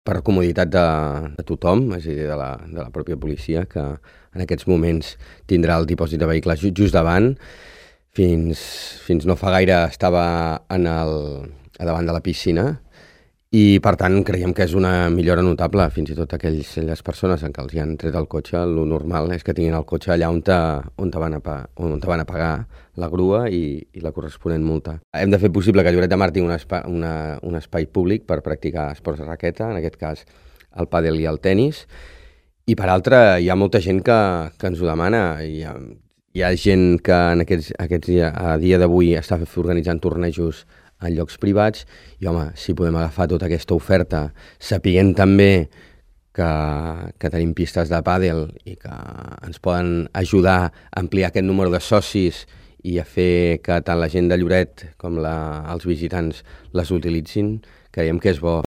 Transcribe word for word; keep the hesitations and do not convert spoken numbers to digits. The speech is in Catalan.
per comoditat de, de tothom, és a dir, de la, de la pròpia policia, que en aquests moments tindrà el dipòsit de vehicles just davant. Fins, fins no fa gaire estava en el, a davant de la piscina i, per tant, creiem que és una millora notable. Fins i tot aquells, aquelles persones en què els hi han tret el cotxe, el normal és que tinguin el cotxe allà on, te, on, te van, a, on te van a pagar la grua i, i la corresponent multa. Hem de fer possible que Lloret de Mar tingui un, espai, una, un espai públic per practicar esports de raqueta, en aquest cas el pàdel i el tennis, i per altra hi ha molta gent que, que ens ho demana. Hi ha, hi ha gent que en aquests, aquests, a dia d'avui està organitzant tornejos en llocs privats, i home, si podem agafar tota aquesta oferta, sapiguent també que, que tenim pistes de pàdel i que ens poden ajudar a ampliar aquest número de socis i a fer que tant la gent de Lloret com la, els visitants les utilitzin, creiem que és bo.